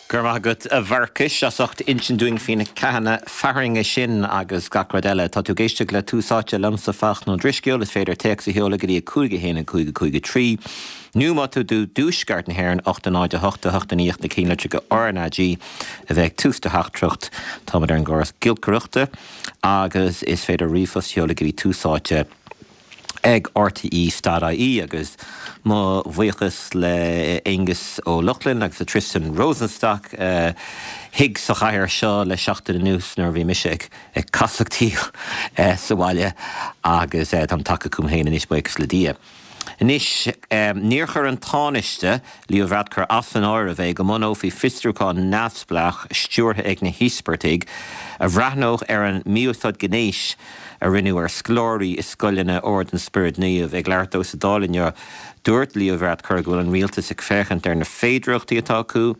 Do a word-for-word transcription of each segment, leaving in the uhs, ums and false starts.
Go raibh maith agat, a Mharcais, as ucht insint dúinn faoi na ceathanna fearthainne sin agus gach rud eile. Tá tú ag éisteacht le Tús Áite liomsa, Fachtna Ó Drisceoil. Is féidir téacs a sheoladh go dtí a cúig a haon a cúig a cúig a trí nó má tá tú i dtuaisceart na hÉireann ocht a náid a hocht a hocht a naoi na cinnlitreacha R N A G a bheith ag tús do theachtaireacht. Táimid ar an gcóras giolcaireachta agus is féidir ríomhphost a sheoladh go dtí tús áite ag R T E dot I E. Agus mo bhuíochas le Aengus Ó Lochlainn agus le Tristan Rosenstock uh, thig sa chathaoir seo le seachtain anuas nuair a bhí mise ag ag casachtaíl uh, sa bhaile agus uh, táim tagtha chugam féin anois, buíochas le Dia. Anois, um, níor chuir an Tánaiste Leo Varadkar as an áireamh é go mbunófaí fiosrúchán neamhspleách stiúrtha ag na híospartaigh a bhreathnódh ar an mí-úsáid gnéis a rinneadh ar scoláirí i scoileanna Ord an Spioraid Naoimh. Ag labhairt dó sa Dáil inniu, dúirt Leo Varadkar go bhfuil an rialtas ag féachaint ar na féidearthachtaí atá acu,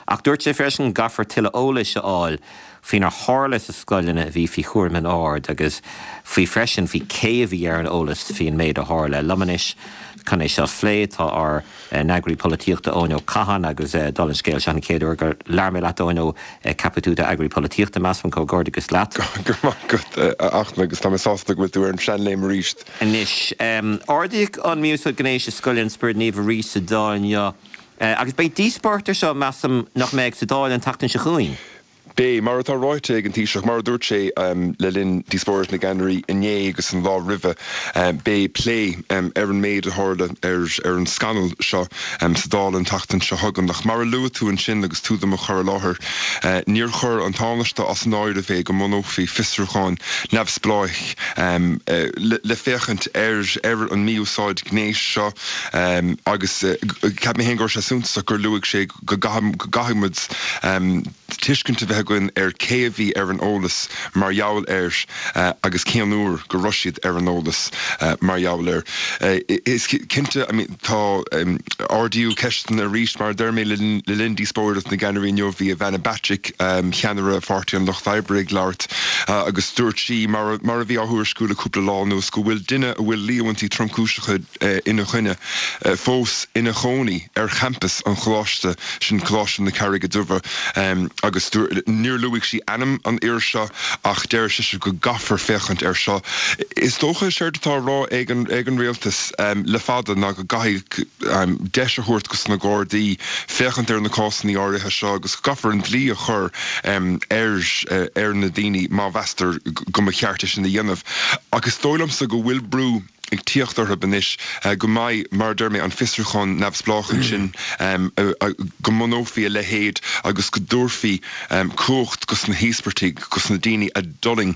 ach dúirt sé freisin caithfear tuilleadh eolais a fháil faoinar tharla sna scoileanna a bhí faoi chúram an oird agus faoi freisin faoi cé a bhí ar an eolas faoin méid a tharla. Liom anois chun é seo a phlé tá ár n-eagraí polaitíochta Eoin Ó Catháin agus dála an scéil, seo an chéad uair gur labhair mé leat, Eoin, ó ceapadh tú d'eagraí polaitíochta, measaim. Comhghairdeachas leat. Go maith agat, a Fhachtna, agus tá mé sásta go bhfuil tú ar an seanléim arís. Anois, ardaíodh an mí-úsáid gnéis i scoil an Spioraid Naoimh arís sa Dáil inniu. Agus beidh díospóireacht air seo, measaim, nach mbeidh, sa Dáil an tseachtain seo chugainn. Beidh, mar atá ráite ag an Taoiseach, mar a dúirt sé le linn díospóireacht na gceannairí inné agus an lá roimhe, beidh plé ar an méid a tharla, ar ar an scannal seo, sa Dáil an tseachtain seo chugainn. Ach mar a luaigh tú ansin agus tú do mo chur i láthair, níor chuir an Tánaiste as an áireamh é go mbunófaí fiosrúchán neamhspleách le féachaint ar ar an mí-úsáid gnéis seo agus cheap mé féin go raibh sé suntasach gur luaigh sé go gcaithfidh muid tuiscint a bheith againn ar cé a bhí ar an eolas mar gheall air agus cén uair go raibh siad ar an eolas mar gheall air. Is cinnte, I mean, tá ardaíodh ceisteanna arís, mar a deir mé, le linn díospóireacht na gceannairí inniu. Bhí Ivana Bacik, ceannaire Pháirtí an Lucht Oibre, ag labhairt agus dúirt sí, mar mar a bhí á thuairisciú le cúpla lá anuas, go bhfuil duine a bhfuil líomhaintí tromchúiseacha ina choinne fós ina chónaí ar champas an choláiste sin, Coláiste na Carraige Duibhe, agus níor luaigh sí ainm an fhir seo ach deir sise go gcaithfear féachaint air seo. Is dócha séard atá á rá ag an ag an rialtas le fada ná go gcaithfidh deis a thabhairt dos na Gardaí féachaint ar na cásanna áirithe seo agus go gcaithfear an dlí a chur ar ar na daoine má mheastar go mba cheart é sin a dhéanamh. Ach is dóigh liomsa go bhfuil brú ag tíocht orthu anois go mbeidh, mar deir mé, an fiosrúchán neamhspleách ansin, go mbunófaí a leithéid agus go dtabharfaí cumhacht dos na híospartaigh, dos na daoine a d'fhulaing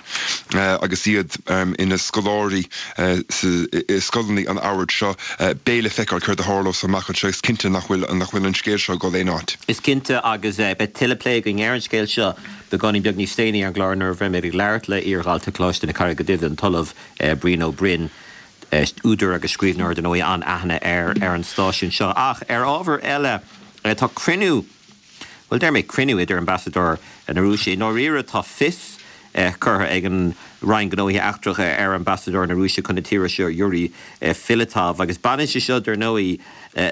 agus iad ina scoláirí i scoileanna an oird seo. Beidh le feiceáil céard a tharlós amach anseo. Is cinnte nach bhfuil nach bhfuil an scéal seo ag dul aon áit. Is cinnte, agus beidh tuilleadh plé againn ar an scéal seo beagáinín beag níos déanaí ar an gclár nuair a bheimid ag labhairt le iardhalta Choláiste na Carraige Duibhe, an tOllamh Brian Ó Broin, údar agus scríbhneoir dar ndóigh an-aithne air ar an stáisiún seo. Ach ar ábhar eile, tá cruinniú, bhuel, deir mé cruinniú idir ambasadóir na Rúise, i ndáiríre tá fios curtha ag an Roinn Gnóthaí Eachtracha ar ambasadóir na Rúise chun na tíre seo, Yuri Filatov, agus baineann sé seo dar ndóigh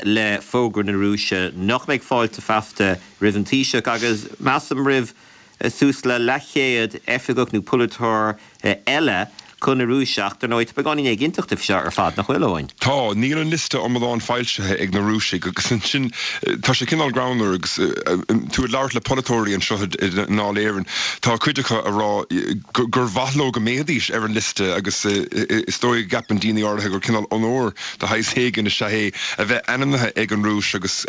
le fógra na Rúise nach mbeidh fáilte feasta roimh an Taoiseach agus measaim roimh suas le leathchéad oifigeach nó polaiteoir eile chun na Rúise. Ach dar ndóigh tá beagáinín éiginnteachta faoi seo ar fad, nach bhfuil, Eoin? Tá, níl an liosta iomlán foilsithe ag na Rúisigh agus ansin tá sé cineál greannmhar agus tú ag labhairt le polaiteoirí anseo i nDáil Éireann, tá cuid acu ag rá gur mhaith leo go mbeidís ar an liosta agus is dóigh go gceapann daoine áirithe gur cineál onóir de shaghas éigin is ea é a bheith ainmnithe ag an Rúis agus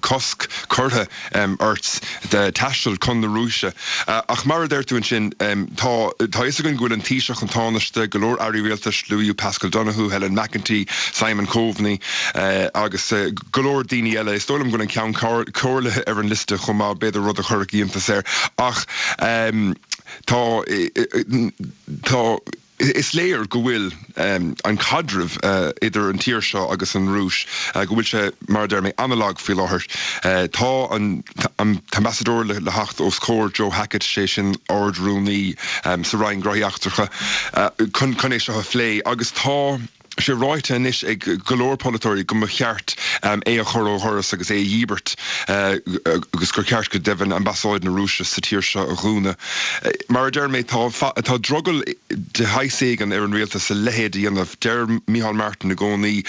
cosc curtha ort taisteal chun na Rúise. Ach mar a deir tú ansin, tá tá fhios againn go bhfuil an Taoiseach, an Tánaiste, go leor airí rialtais, luaíodh Paschal Donohoe, Helen McEntee, Simon Coveney agus go leor daoine eile. Is dóigh liom go bhfuil an Ceann Comhairle ar an liosta chomh maith, b'fhéidir, rud a chuirfeadh iontas air. Ach tá tá is léir go bhfuil an caidreamh idir an tír seo agus an Rúis, go bhfuil sé, mar a deir mé, an-lag faoi láthair. Tá an t-ambasadóir le theacht os comhair Joe Hackett, sé sin Ard-Rúnaí sa Roinn Gnóthaí Eachtracha, chun chun é seo a phlé agus tá sé ráite anois ag go leor polaiteoirí go mba cheart é a chur ó dhoras agus é a dhíbirt agus gur cheart go deimhin ambasáid na Rúise sa tír seo a dhúnadh. Mar a deir mé tá tá drogall de shaghas éigin ar an rialtas a leithéid a dhéanamh. Deir Micheál Martin i gcónaí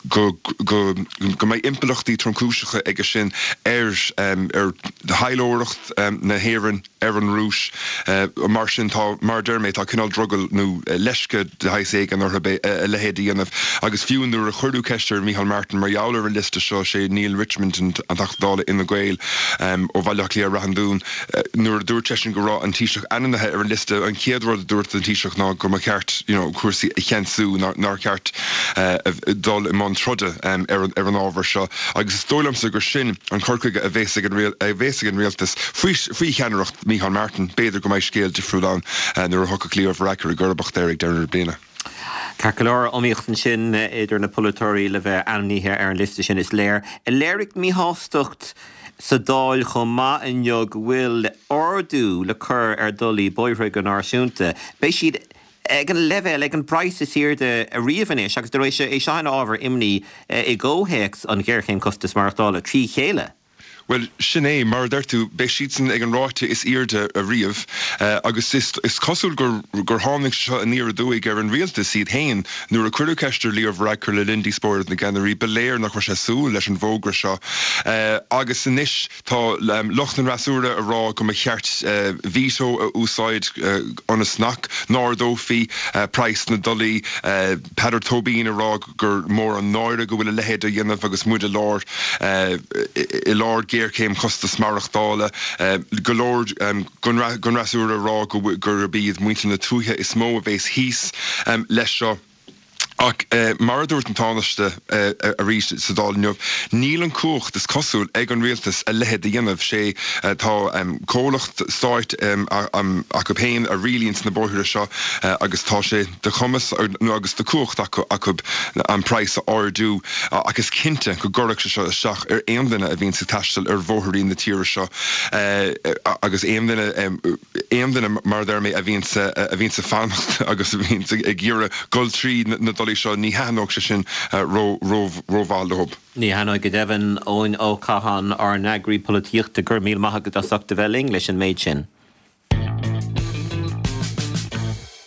go go go mbeidh impleachtaí tromchúiseacha aige sin ar ar thaidhleoireacht na hÉireann ar an Rúis. Mar sin tá mar a deir mé tá cineál drogall nó leisce de shaghas éigin orthu a leithéid a dhéanamh. Agus fiú nuair a cuireadh ceist ar Micheál Martin mar gheall ar an liosta seo sé Neale Richmond an Teachta Dála Fhine Gael ó Bhaile Átha Cliath Rath an Dúin nuair a dúirt seisean go raibh an Taoiseach ainmnithe ar an liosta an chéad rud a dúirt an Taoiseach ná go mba cheart you know, cúrsaí a cheansú nár cheart dul i mbun troda ar ar an ábhar seo. Agus is dóigh liomsa gur sin an cur chuige a bheas ag a bheas ag an rialtas faoi faoi cheannaireacht Micheál Martin, b'fhéidir go mbeidh scéal difriúil ann nuair a thiocfaidh Leo Varadkar i gcomharbacht air ag deireadh na bliana. Ceart go leor iomaíocht ansin idir na polaiteoirí le bheith ainmnithe ar an liosta sin is léir. Léirigh míshástacht sa Dáil chomh maith inniu go bhfuil ardú le cur ar dhollaí bóithre go náisiúnta. Beidh siad ag an leibhéal ag an bpraghas is airde riamh anois agus de réir é seo ina ábhar imní i gcomhthéacs an ghéarchéim costas maireachtála trí chéile. Well sin é mar a deir tú beidh siadsan ag an ráta is airde ariamh agus is is cosúil gur gur tháinig seo aniar aduaidh ar an rialtas iad féin nuair a cuireadh ceist ar Leo Varadkar le linn díospóireacht na gceannairí ba léir nach raibh sé súil leis an bhfógra seo agus anois tá lucht an fhreasúra ag rá go mba cheart veto a úsáid ionas nach n-ardófaí praghas na dtollaí Peadar Tóibín ag rá gur mór an náire go bhfuil a leithéid á dhéanamh agus muid i lár i lár géarchéim costas maireachtála go leor den fhreasúra ag rá gurb iad muintir na tuaithe is mó a bheas thíos leis seo. Ach mar a dúirt an Tánaiste arís sa Dáil inniu, níl an cumhacht is cosúil ag an rialtas a leithéid a dhéanamh sé tá comhlacht stáit acu féin a rialaíonn na bóithre seo agus tá sé de chumas nó agus de cumhacht acu acu an praghas a ardú ach is cinnte go gcuirfeadh sé seo isteach ar aon duine a bhíonn ag taisteal ar bhóithrí na tíre seo agus aon duine aon duine mar a deir mé a bhíonn a bhíonn ag fanacht agus a bhíonn ag iarraidh dul trí na dolaí seo ní thaitneodh sé sin rómhaith leo. Ní thaitneoidh go deimhin Eoin Ó Catháin ár n-eagraí polaitíochta go raibh míle maith agat as ucht a bheith linn leis an méid sin.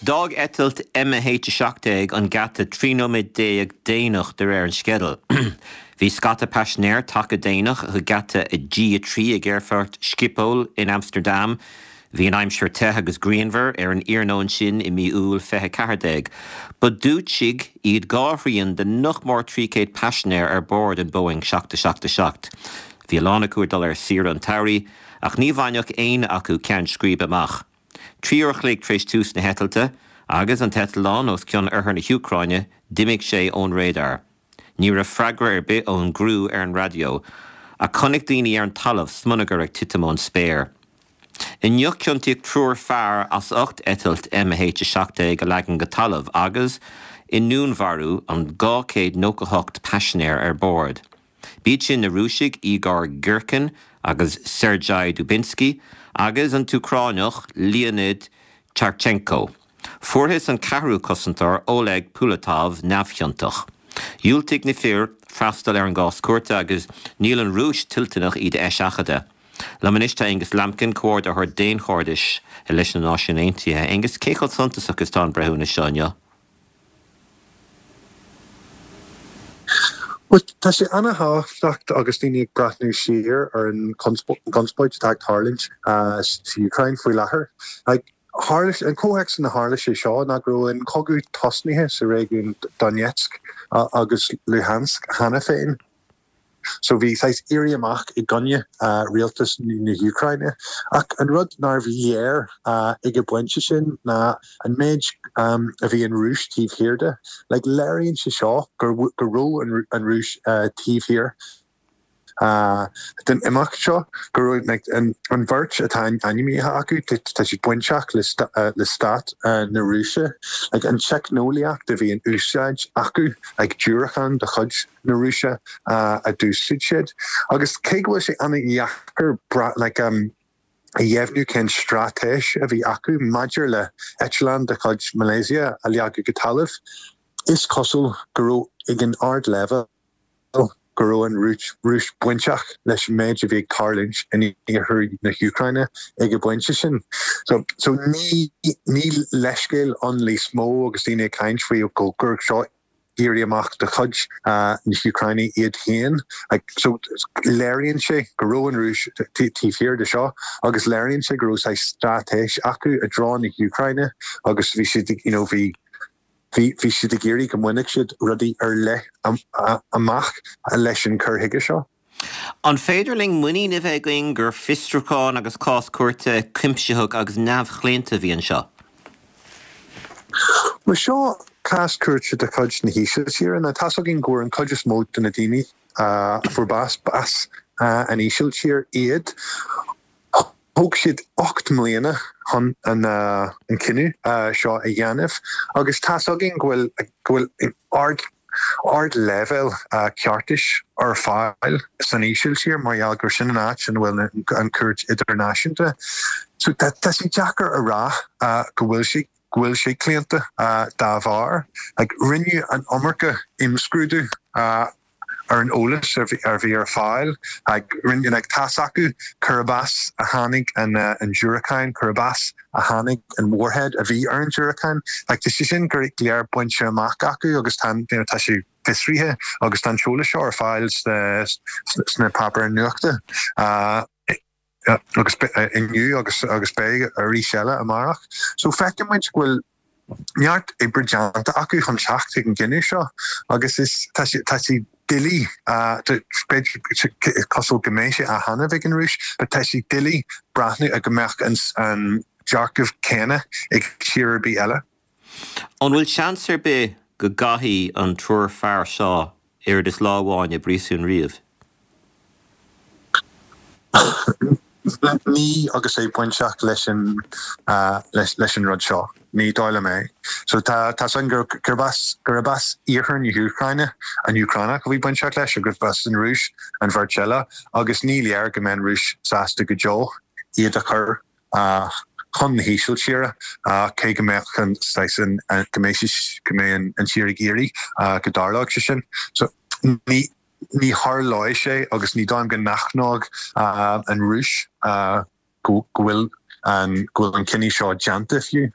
D'fhág eitilt M H a seacht déag an geata trí nóiméad déag déanach de réir an sceidil. Bhí scata paisinéir tagtha déanach chuig geata G a trí ag aerfort Schiphol in Amsterdam. Bhí an aimsir te agus grianmhar ar an iarnóin sin i mí Iúil fiche ceathair déag. Ba Dúitsigh iad dhá thrian de nach mór trí chéad paisinéir ar bord an Boeing seacht a seacht a seacht. Bhí a lán acu ag dul ar saoire an tsamhraidh, ach ní bhainfeadh éinne acu ceann scríbe amach. Trí uair a chloig tar éis tús na heitilte, agus an t-eitleán os cionn oirthear na hÚcráine, d'imigh sé ón radar. Ní raibh freagra ar bith ón gcriú ar an raidió, ach chonaic daoine ar an talamh smionagar ag titim ón spéir. Inniu ciontaíodh triúr fear as ucht eitilt M H a seacht déag a leagan go talamh agus i ndúnmharú an dhá chéad nócha hocht paisinéir ar bord. B'iad sin na Rúisigh Igor Girkin agus Sergei Dubinsky agus an tÚcránach Leonid Charchenko. Fuarthas an ceathrú cosantóir Oleg Pulatov neamhchiontach. Dhiúltaigh na fir freastal ar an gcás cúirte agus níl an Rúis toilteanach iad a eiseachadadh. Liom anois tá Angus Lambkin, Comhordaitheoir Daonchairdis leis na Náisiúin Aontaithe. Angus, cé chomh suntasach is atá an breithiúnas seo inniu? Bhuel, tá sé an-thábhachtach agus daoine ag breathnú siar ar an gconspóid atá ag tarlúint sa Úcráin faoi láthair. Tharla, an comhthéacs ina tharla sé seo ná go raibh an cogadh tosnaithe sa réigiún Donetsk agus Luhansk cheana féin. So bhí saghas éirí amach i gcoinne rialtas na hÚcráine. Ach an rud nárbh léir ag an bpointe sin ná an méid a bhí an Rúis taobh thiar de. Like léiríonn sé seo go raibh an Rúis taobh thiar den imeacht seo, go raibh like an bheirt atá ainmnithe acu, tá siad bainteach le stát na Rúise. Like an teicneolaíocht a bhí in úsáid acu, like diúracáin de chuid na Rúise a d'úsáid siad. Agus cé go bhfuil sé an-dheacair like a dheimhniú cén straitéis a bhí acu maidir le eitleán de chuid Malaysia a leagadh go talamh, Is cosúil go raibh ag an ardleibhéal go raibh an Rúis bainteach leis an méid a bhí ag tarlúint in iarthar na hÚcráine ag an bpointe sin. So so ní ní leithscéal ann níos mó agus daoine ag caint faoi go gur seo éirí amach de chuid na hÚcráine iad féin. So léiríonn sé go raibh an Rúis taobh thiar de seo agus léiríonn sé go raibh saghas straitéis acu i dtreo na hÚcráine agus bhí siad you know bhí bhí bhí siad ag iarraidh go mbainfeadh siad rudaí ar leith amach leis an cur chuige seo. An féidir linn muinín a bheith againn gur fiosrúchán agus cás cúirte cuimsitheach agus neamhchlaonta a bhí anseo? Bhuel seo cás cúirte de chuid na hÍsiltíre. Now tá's againn go bhfuair an chuid is mó de na daoine a fuair bás b'as an Ísiltír iad. Thóg siad ocht mbliana chun an cinneadh seo a dhéanamh agus tá's againn go bhfuil go bhfuil ard ardleibhéal ceartais ar fáil san Ísiltír mar gheall gur sin an áit ina bhfuil an Chúirt Idirnáisiúnta. So tá sé deacair a rá go bhfuil sé go bhfuil sé claonta dá bharr. Like rinneadh an iomarca imscrúdú ar an eolas a bhí ar fáil. Like rinne like tá's acu gurb as a tháinig an an diúracán, gurb as a tháinig an warhead a bhí ar an diúracán. Like tá sé sin go léir bainte amach acu agus tá you know tá sé fiosraithe agus tá an t-eolas seo ar fáil sna sna páipéir nuachta. Agus inniu agus agus beidh arís eile amárach. So feiceann muid go bhfuil neart oibre déanta acu chun teacht chuig an gcinneadh seo agus is tá sé tá sé doiligh b'fhéidir cosúil go mbeidh sé á dhéanamh ag an Rúis but tá sé doiligh breathnú go mbeadh an an dearcadh céanna ag tír ar bith eile. An bhfuil seans ar bith go gcaithfidh an triúr fear seo oiread is lá amháin i bpríosún riamh? Ní agus é bainteach leis an leis an rud seo. Ní dóigh liom é. So tá tá san gur gurb as gurb as iarthar na hÚcráine an Úcránach a bhí bainteach leis agus gurb as an Rúis an bheirt eile agus ní léir go mbeidh an Rúis sásta go deo iad a chur chun na hÍsiltíre cé go mbeadh an saghas an go mbeidh go mbeidh an tír ag iarraidh go dtarlódh sé sin. So ní Ní tharlóidh sé agus ní dóigh liom go n-aithneodh an Rúis go bhfuil an go bhfuil an cinneadh seo déanta fiú.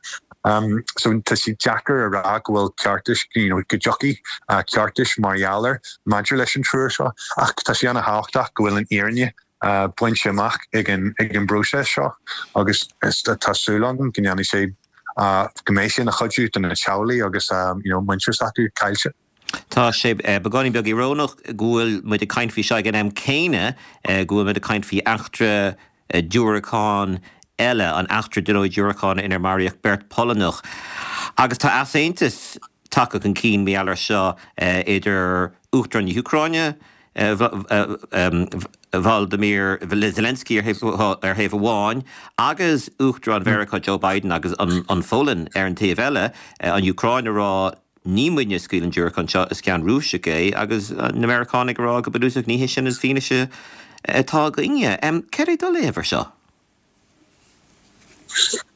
So tá sé deacair a rá go bhfuil ceartas, you know, go dtiocfaidh ceartas mar gheall air maidir leis an triúr seo ach tá sé ana-thábhachtach go bhfuil an fhírinne bainte amach ag an ag an bpróiseas seo agus tá súil agam go ndéanfaidh sé go mbeidh sé ina chuidiú do na teaghlaigh agus you know muintir s'acu caillte. Tá sé beagáinín beag íorónach go bhfuil muid ag caint faoi seo ag an am céanna go bhfuil muid ag caint faoi eachtra diúracán eile, an eachtra diúracán inar maraíodh beirt Pholannach. Agus tá easaontas tagtha chun cinn mar gheall air seo idir Uachtarán na hÚcráine, Volodymyr Zelensky ar thaobh amháin agus Uachtarán Mheiriceá Joe Biden agus an Pholainn ar an taobh eile, an Úcráin ag rá ní muidne a scaoil an diúracán seo, is ceann Rúiseach é, agus na Meiriceánaigh ag rá go bunúsach ní hé sin an fianaise atá againne. Céard é do léamh ar seo?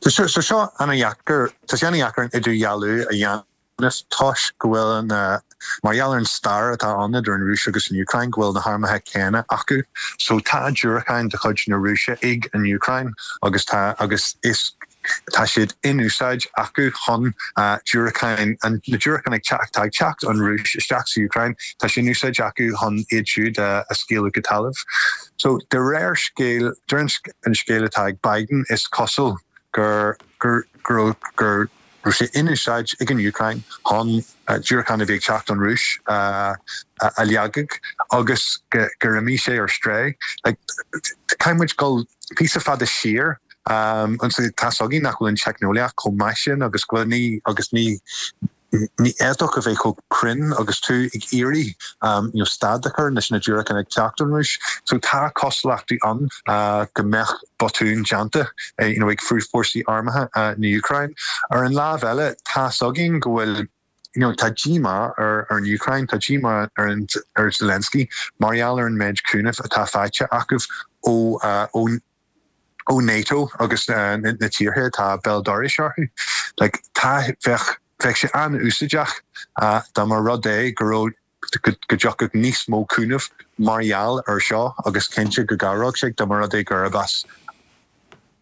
Tá seo ana-dheacair, tá sé ana-dheacair an idirdhealú a dhéanamh toisc go bhfuil an, mar gheall ar an stair atá ann idir an Rúis agus an Úcráin, go bhfuil na harmacha céanna acu. So tá diúracáin de chuid na Rúise ag an Úcráin agus tá, agus is, Tá siad in úsáid acu chun diúracáin, na diúracáin ag teacht, atá ag teacht ón Rúis isteach sa Úcráin, tá sé in úsáid acu chun iad siúd a scaoileadh go talamh. So de réir scéil, de réir an scéil atá ag Biden, is cosúil gur, gur, gur, gur raibh sé in úsáid ag an Úcráin chun diúracáin a bhí ag teacht ón Rúis a leagadh agus gur imigh sé ar strae. Like, caithfidh muid dul píosa fada siar Ansin tá's againn nach bhfuil an teicneolaíocht chomh maith sin agus go bhfuil ní agus ní ní fhéadfadh a bheith chomh cruinn agus tú ag iarraidh you know stad a chur leis na diúracáin ag teacht ón Rúis. So tá cosúlachtaí ann go mbeadh botún déanta you know ag fórsaí armtha na Úcráine. Ar an lámh eile tá's againn go bhfuil you know tá díomá ar ar an Úcráin, tá díomá ar an ar Zelensky mar gheall ar an méid cúnaimh atá faighte acu ó ó ó NATO agus na tíortha atá béal dorais orthu. Like tá bheadh Bheadh sé an-úsáideach dá mba rud é go raibh go dtiocfadh níos mó cúnamh mar gheall ar seo agus cinnte go gcabhródh sé dá mba rud é gurb as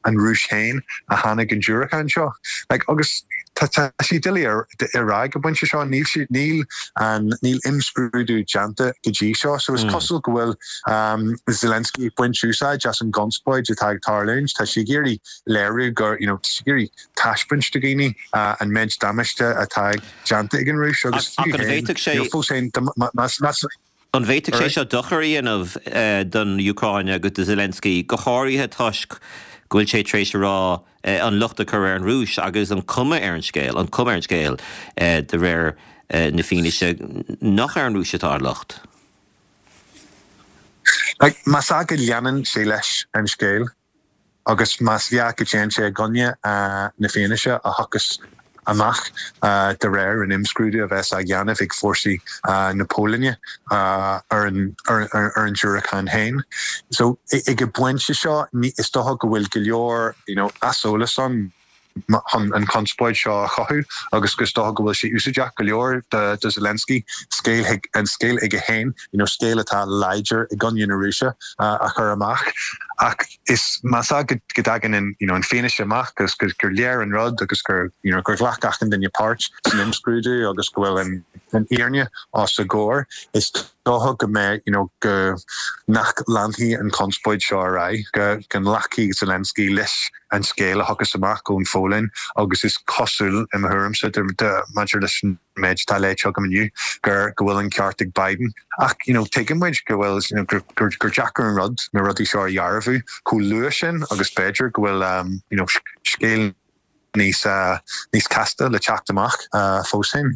an Rúis féin a tháinig an diúracán seo. Like, agus tá sé doiligh a rá ag an bpointe seo, níl sé níl an níl imscrúdú déanta go dtí seo, so is cosúil go bhfuil um, Zelensky ag baint úsáid as an gconspóid atá ag tarlúint, tá sé ag iarraidh léiriú gur you know, tá sé ag iarraidh taispeáint do dhaoine uh, an méid damáiste atá déanta ag an Rúis agus Ach an bhféadfadh sé fós féin más más An bhféadfadh sé seo dochar a dhéanamh eh, don Úcráin agus do Zelensky go háirithe toisc go bhfuil sé tar éis a rá eh, an locht a chur ar an Rúis agus an cuma ar an scéal, an cuma ar an scéal eh, de réir eh, na fianaise nach ar an Rúis atá an locht. Like, más ea go leanann sé leis an scéal agus más ea go dtéann sé i gcoinne uh, na fianaise a thiocfas amach uh, de réir an imscrúdú a bheas á dhéanamh ag fórsaí uh, na Polainne uh, ar an, ar, ar, ar an diúracán féin. So ag an bpointe seo is dócha go bhfuil go leor you know, aiseolas ann chun an conspóid seo a chothú agus gus dócha go bhfuil sé úsáideach go leor do, do Zelensky scéal an scéal aige féin you know, scéal atá láidir i gcoinne na Rúise uh, a chur amach. Ach is más ea go dtagann an you know, an fianaise amach agus gur gur léir an rud agus gur you know, gur ghlac achan duine páirt san imscrúdú agus go bhfuil an, an fhírinne os a gcomhair is dócha go mbeidh you know, go nach leanfaidh an conspóid seo ar aghaidh go go nglacfaidh Zelensky leis an scéal a thiocfas amach ón Pholainn agus is cosúil i mo thuairimse maidir leis an méid atá léite agam inniu gur go bhfuil an ceart ag Biden ach you know, tuigeann muid go bhfuil you know, gur, gur, gur deacair an rud na rudaí seo a dhearbhu chomh luath sin agus b'fhéidir go bhfuil um, you know, scéal níos uh, níos casta le teacht amach uh, fós féin.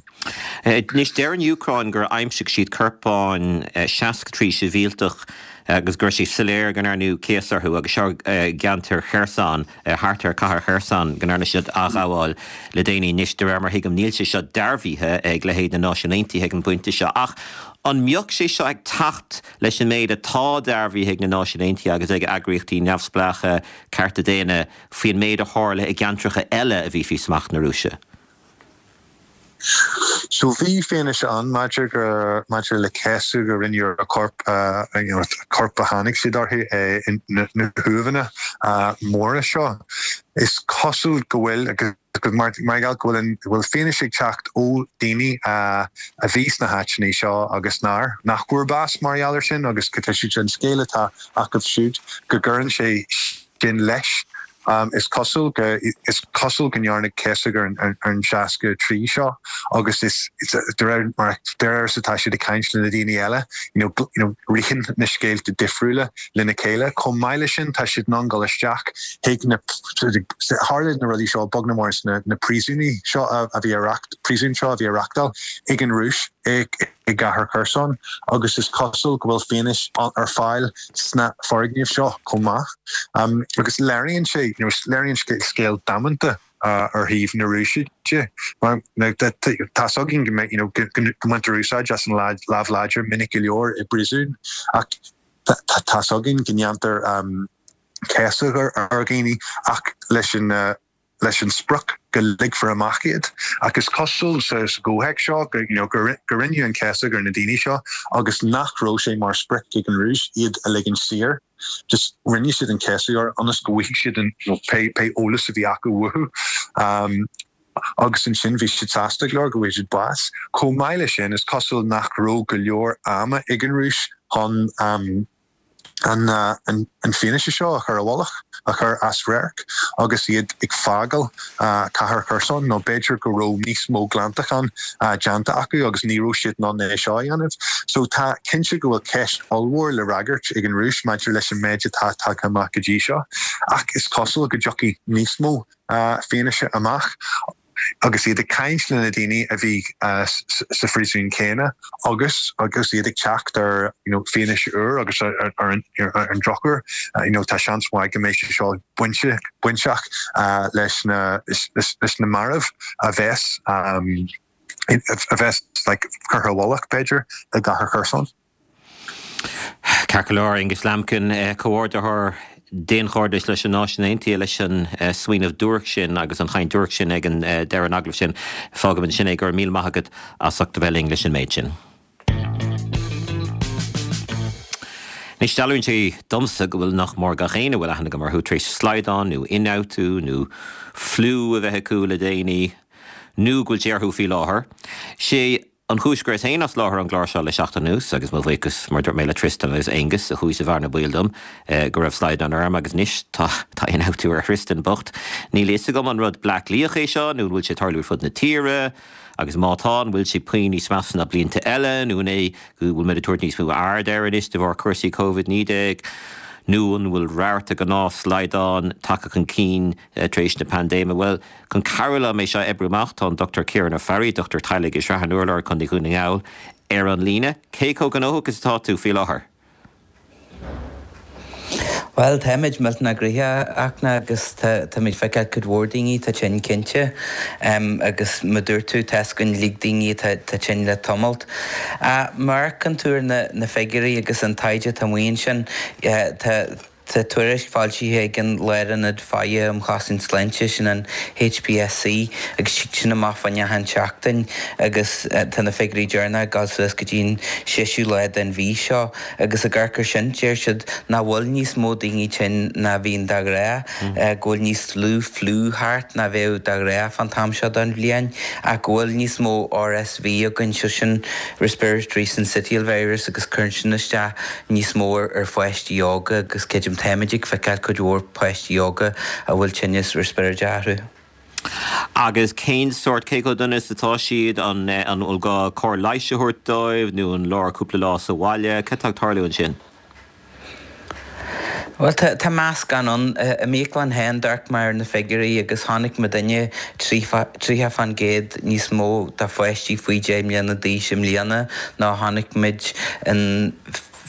Anois deir an Úcráin gur aimsigh siad corpáin seasca trí sibhialtach agus gur sé soiléir go ndearnadh céasadh orthu agus seo gceantar Kherson thart ar cathair Kherson go ndearna siad athghabháil le déanaí anois de réir mar thuigim níl sé seo dearbhaithe ag leithéid na Náisiún Aontaithe ag an bpointe seo ach an mbeadh sé seo ag teacht leis an méid atá dearbhaithe ag na Náisiúin Aontaithe agus ag eagraíochtaí neamhspleácha cearta daonna faoin méid a tharla i gceantracha eile a bhí faoi smacht na Rúise. So bhí fianaise ann maidir go maidir le céasadh a rinneadh ar choirp uh, you know, coirp a tháinig siad orthu uh, na, na huaimheanna uh, móra seo. Is cosúil go bhfuil agus mar mar go bhfuil bhfuil fianaise ag teacht ó daoine uh, a bhí sna háiteanna seo agus nár nach bhfuair bás mar gheall air sin agus go siad an scéal atá acu siúd go gcuireann sé sin leis. Um, is cosúil go is cosúil go ndearnadh céasadh ar an, ar an seasca trí seo agus is de réir mar deir atá siad ag caint le na daoine eile you know, you know, ritheann na scéalta difriúla lena chéile chomh maith leis sin tá siad in ann dul isteach chuig na tharla na rudaí seo beag ná mór na, na príosúin seo a, a bhí reacht príosún seo a bhí reáchtáil ag an Rúis ag i gcathair Kherson agus is cosúil go bhfuil fianaise ar fáil sna foirgnimh seo chomh maith. Um, agus léiríonn sé you know, léiríonn scéal damanta uh, ar thaobh na Rúise de. Tá againn go you know, go mbaintear úsáid as an lámh láidir minic go leor i bpríosún ach tá againn go ndéantar um, céasadh ar ar dhaoine ach leis an uh, leis an sprioc go ligfear amach iad agus is cosúil sa gcomhthéacs seo go you know, gur rinneadh an céasadh ar na daoine seo agus nach raibh sé mar sprioc ag an Rúis iad a ligean saor. Just rinne siad an céasadh orthu ionas go bhfaighidh siad an you know, pé pé eolas a bhí acu uathu. Um, agus ansin bhí siad sásta go leor go bhfuair siad bás. Chomh maith leis sin is cosúil nach raibh go leor ama ag an Rúis chun um, an, uh, an, an fianaise seo a chur i bhfolach a chur as radharc agus iad ag fágáil uh, cathair Kherson nó b'fhéidir go raibh níos mó glantachán uh, déanta acu agus ní raibh siad in ann é seo a dhéanamh. So tá cinnte go bhfuil ceist ollmhór le freagairt ag an Rúis maidir leis an méid atá tagtha amach go dtí seo ach is cosúil go dtiocfaidh níos mó uh, fianaise amach agus iad ag caint le na daoine a bhí uh, sa phríosún céanna agus agus iad ag teacht ar you know, fianaise úr agus ar, ar, ar, ar an drochuair uh, you know, tá seans maith go mbeidh sé seo bainte bainteach uh, leis na leis, leis na mairbh a bheas um, a bheas like, curtha i bhfolach b'fhéidir i gcathair Kherson. Ceart go leor Aonghus Lambkin eh, comhordaitheoir daonchairdis leis na Náisiúin Aontaithe leis an smaoineamh duairc sin agus an chaint duairc sin ag an deireadh an agallaimh sin. Fágfaimid ansin é go raibh míle maith agat as ucht a bheith linn leis an méid sin. Anois dealraíonn sé domsa go bhfuil nach mór gach éinne a bhfuil aithne agam orthu tar éis slaghdán nó ionfhabhtú nó fliú a bheith acu le déanaí nó go bhfuil sé orthu faoi láthair. Sé an chúis go rabhas féin as láthair an gclár seo le seachtain anuas agus mo bhuíochas mar dúirt mé le Tristan agus Aengus a chuaigh sa bhearna baoil dom go raibh slaghdán orm agus anois tá tá ionfhabhtú ar Thristan bocht. Níl fhios agam an rud Bleá Cliathach é seo nó an bhfuil sé ag tarlú ar fud na tíre agus má tá an bhfuil sé puinn níos measa ná blianta eile nó an é go bhfuil muid ag tabhairt níos mó aird air anois de bharr cúrsaí Covid naoi déag nó an bhfuil rabharta gnáthshlaghdán tagtha chun cinn tar éis na paindéime? Bhuel, chun cabhrú liom é seo a oibriú amach, tá an Dochtúir Ciarán Ó Fearraigh, dochtúir teaghlaigh i Srath an Urláir, Contae Dhún na nGall, ar an líne. Cé chomh gnóthach is atá tú faoi láthair? Bhuel, táimid millteanach gnoitheach, a Fhachtna, agus táimid ag feiceáil cuid mhór daoine atá tinn cinnte. Agus mar dúirt tú, tá's againn uilig daoine atá tinn le tamalt. Má amharcann tú ar na figiúirí agus an taighde atá amuigh ansin, tá tá tuairisc foilsithe ag an Lárionad Faire um Chosaint Sláinte, sin an HPSC, agus tig sin amach fá achan tseachtain agus tá na figiúirí deireanacha ag dul suas go dtí an seisiú lá den mhí seo agus ag amharc air sin deir siad nach bhfuil níos mó daoine tinn ná bhíonn de ghnáth, go bhfuil níos lú fliú thart ná bheadh de ghnáth fán t-am seo den bhliain ach go bhfuil níos mó RSV againn, so sin Respiratory Syncytial Virus agus cuireann sin isteach níos mó ar pháistí óga agus creidim táimid ag feiceáil cuid mhór páistí óga a bhfuil tinneas riospráide orthu. Agus cén sórt, cé chomh dona is atá siad, an an bhfuil gá cóir leighis a thabhairt dóibh nó an leor cúpla lá sa bhaile? Cad tá ag tarlú ansin? Bhuel, tá tá meascán ann. I m'íoclann féin, d'amharc mé ar na figiúirí agus chonaic muidinne tríocha fán gcéad níos mó de pháistí faoi deich mbliana d'aois i mbliana ná a chonaic muid in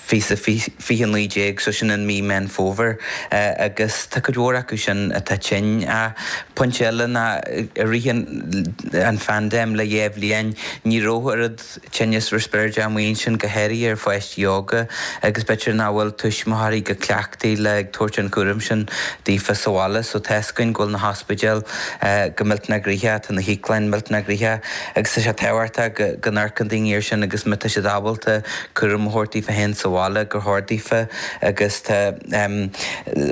fiche naoi déag, so sin in mí Meán Fómhair, agus tá cuid mhór acu sin atá tinn. Pointe eile ná i rith an phaindéim le dhá bhliain, ní raibh oiread tinneas riospráide amuigh ansin, go háirithe ar pháistí óga, agus b'fhéidir nach bhfuil tuismitheoirí go cleachtaithe le ag tabhairt an chúraim sin daofa sa bhaile. So tá's againn go bhfuil na hospidéil go millteanach gnoitheach, tá na híoclainn millteanach gnoitheach agus tá sé tábhachtach go n-amharcann daoine air sin agus má tá siad ábalta cúram a thabhairt daofa féin sa bhaile gur chóir daofa agus tá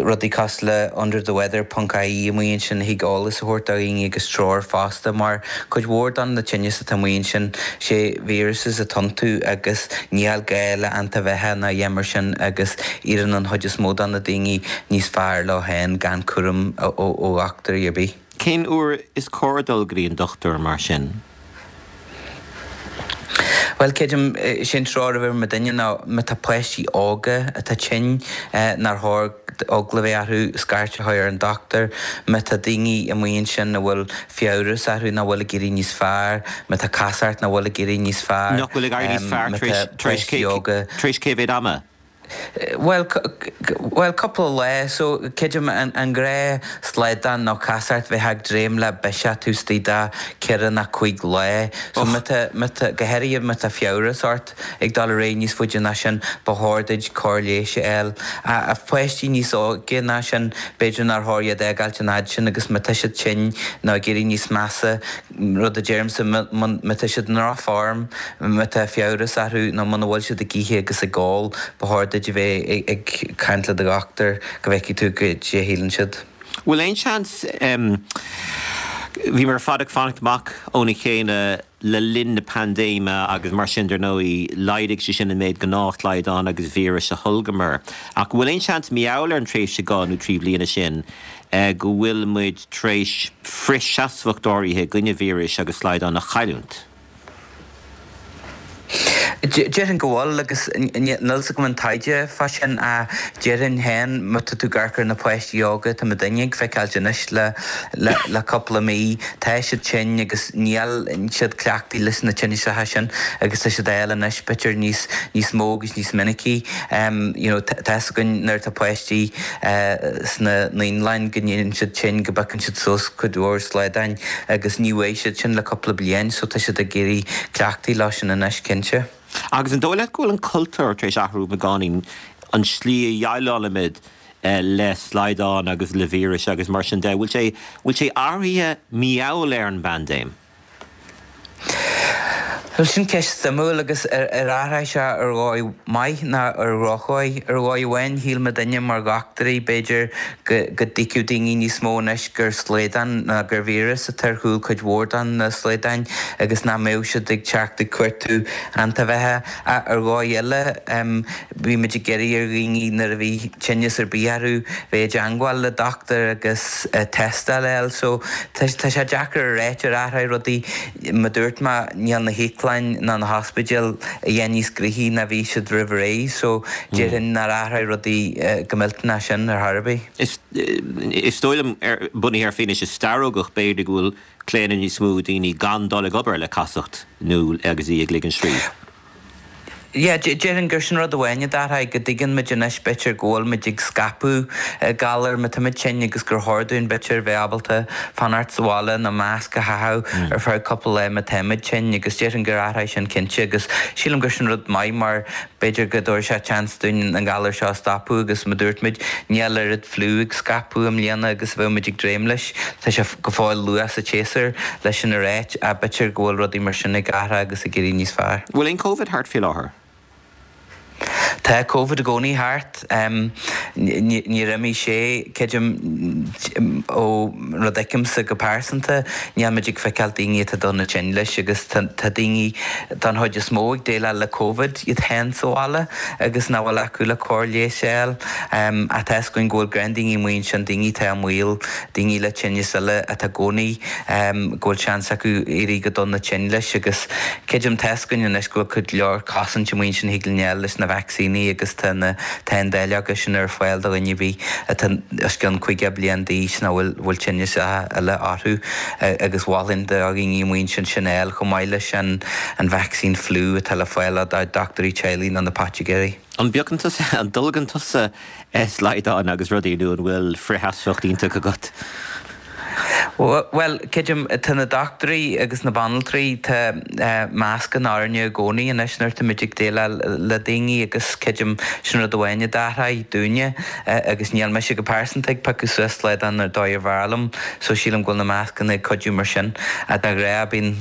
rudaí cosúil le under the weather ponc ie amuigh ansin a thig eolas a thabhairt do dhaoine agus treoir fosta mar cuid mhór de na tinneas atá amuigh ansin sé viruses atá iontu agus níl gá le antaibheatha ná a dhath mar sin agus éiríonn an chuid is mó de na daoine níos fearr leo féin gan cúram ó dhochtúirí ar bith. Cén uair is cóir dul go dtí an dochtúir mar sin? Bhuel, creidim, sé an treoir a bheadh ag muidinne ná má tá páistí óga atá tinn, nár chóir eagla a bheith orthu scairt a chur ar an dochtúir. Má tá daoine amuigh ansin a bhfuil fiabhras orthu nach bhfuil ag éirí níos fearr, má tá casacht nach bhfuil ag éirí níos fearr, Nach bhfuil ag éirí níos fearr má tá tar éis páistí óga. tar éis cé mhéad ama? Bhuel, bhuel, cúpla lá, so creidim an an gnáth slaghdán nó casacht bheith ag dréim le biseach taobh istigh de ceithre nó cúig lá. So má tá, má tá, go háirithe má tá fiabhras ort ag dul ar aghaidh níos faide ná sin, ba chóir duit cóir leighis a fháil. Ach páistí níos óige ná sin, b'fhéidir nár chóir iad a fhágáilt an fhad sin agus má tá siad tinn nó ag éirí níos measa, Rud a deirimse, má tá siad i ndrochfhoirm, má tá fiabhras orthu nó muna bhfuil siad ag ithe agus ag ól, ba chóir duit a bheith ag caint le do dhochtúir go bhfeicfidh tú goidé a shíleann siad. Bhfuil aon seans, bhíomar ar fad ag fanacht amach óna chéile le linn na paindéime agus mar sin dar ndóigh laghdaigh sé sin an méid gnáthshlaghdán agus víris a tholgamar. Ach an bhfuil aon seans mar gheall ar an tréimhse dhá nó trí bliana sin go bhfuil muid tar éis frithsheasmhacht áirithe i gcoinne víris agus slaghdán a chailliúint? Déarfainn go bhfuil agus níl fhios agam an taighde fá sin ach déarfainn féin má tá tú ag amharc ar na páistí óga atá muidinne ag feiceáilt anois le le cúpla mí, tá siad tinn agus níl siad cleachtaithe leis na tinneasacha sin agus tá siad á fháil anois b'fhéidir níos níos mó agus níos minicí. You know tá fhios againn nuair atá páistí sna naíolanna go n-éiríonn siad tinn, go bpiocann siad suas cuid mhór slaghdáin agus ní bhfaighidh siad sin le cúpla bliain so tá siad ag éirí cleachtaithe leo sin anois cinnte. Agus an dóigh leat go bhfuil an cultúr tar éis athrú beagáinín, an tslí a dhéileálaimid le slaghdáin agus le víris agus mar sin de. Bhfuil sé, bhfuil sé athraithe mar gheall ar an bpaindéim? Bhuel, sin ceist suimiúil agus ar athraigh sé ar dhóigh maith ná ar dhrochdhóigh. Ar dhóigh amháin, shíl muidinne mar dhochtúirí, b'fhéidir, go dtuigfeadh daoine níos mó anois gur slaghdán ná gur víreas atá ar chúl cuid mhór de na slaghdán agus nach mbeadh siad ag teacht ag cuartú antaibheatha. Ach ar dhóigh eile, bhí muid ag iarraidh ar dhaoine nuair a bhí tinneas ar bith orthu bheith i dteangmháil le dochtúir agus tástáil a fháil. So tá sé deacair a ráit ar athraigh rudaí. Mar a dúirt mé, níl na híoclainn ná na hospidéil a dhath níos gnoithí ná bhí siad roimh ré so déarfainn nár athraigh rudaí go millteanach sin ar chor ar bith. Is is dóigh liom, bunaithe ar fianaise starógach, b'fhéidir go bhfuil claonadh níos mó daoine gan dul ag obair le casacht nó agus í ag ligean srí. Yeah, déarfainn gur sin rud amháin a d'athraigh, go dtuigeann muid anois b'fhéidir go bhfuil muid ag scaipeadh galar má táimid tinn agus gur chóir dúinn b'fhéidir bheith ábalta fanacht sa bhaile nó masc a chaitheamh ar feadh cúpla lá má táimid tinn agus déarfainn gur athraigh sin cinnte agus sílim gur sin rud maith mar b'fhéidir go dtabharfaidh sé chance dúinn an galar seo a stopadh agus mar dúirt muid níl oiread fliú ag scaipeadh i mbliana agus a bheadh muid ag dréim leis. Tá sé go fóill luath sa tséasúr leis sin a ráit ach b'fhéidir go bhfuil rudaí mar sin ag athrú agus ag éirí níos fearr. Bhfuil aon Covid thart faoi láthair? Tá Covid i gcónaí thart. Níor imigh sé, creidim, ó rud a fheicimse go pearsanta, níl muid ag feiceáil daoine atá dona tinn leis agus tá daoine don chuid is mó ag déileáil le Covid iad féin sa bhaile agus nach bhfuil acu le cóir leighis a fháil. Ach tá fhios againn go bhfuil gnáthdhaoine amuigh ansin, daoine atá i mbaol, daoine le tinneas eile atá i gcónaí, go bhfuil seans acu éirí go dona tinn leis agus creidim, tá fhios againn anois go bhfuil go leor cosaint amuigh ansin thig linn a fháil leis na vacsaíní agus tá na tá an dáileoga sin ar fáil do dhuine ar bith atá os cionn caoga bliain d'aois nó bhfuil bhfuil tinneas eile orthu agus mholfainn do dhaoine amuigh ansin sin a fháil chomh maith leis an an vacsaín fliú atá le fáil ó dochtúirí teaghlaigh nó na poitigéirí. An bpiocann tusa, an dtolgann tusa slaghdáin agus rudaí nó an bhfuil frithsheasmhacht iontach agat? Bhuel, creidim, tá na dochtúirí agus na banaltraí, tá mascanna orainne i gcónaí anois nuair atáimid ag déileáil le daoine agus creidim sin rud amháin a d'athraigh dúinne agus níl mise go pearsanta ag piocadh suas slaghdán ar dóigh ar bhfearr liom so sílim go bhfuil na mascanna ag cuidiú mar sin. De ghnáth bíonn,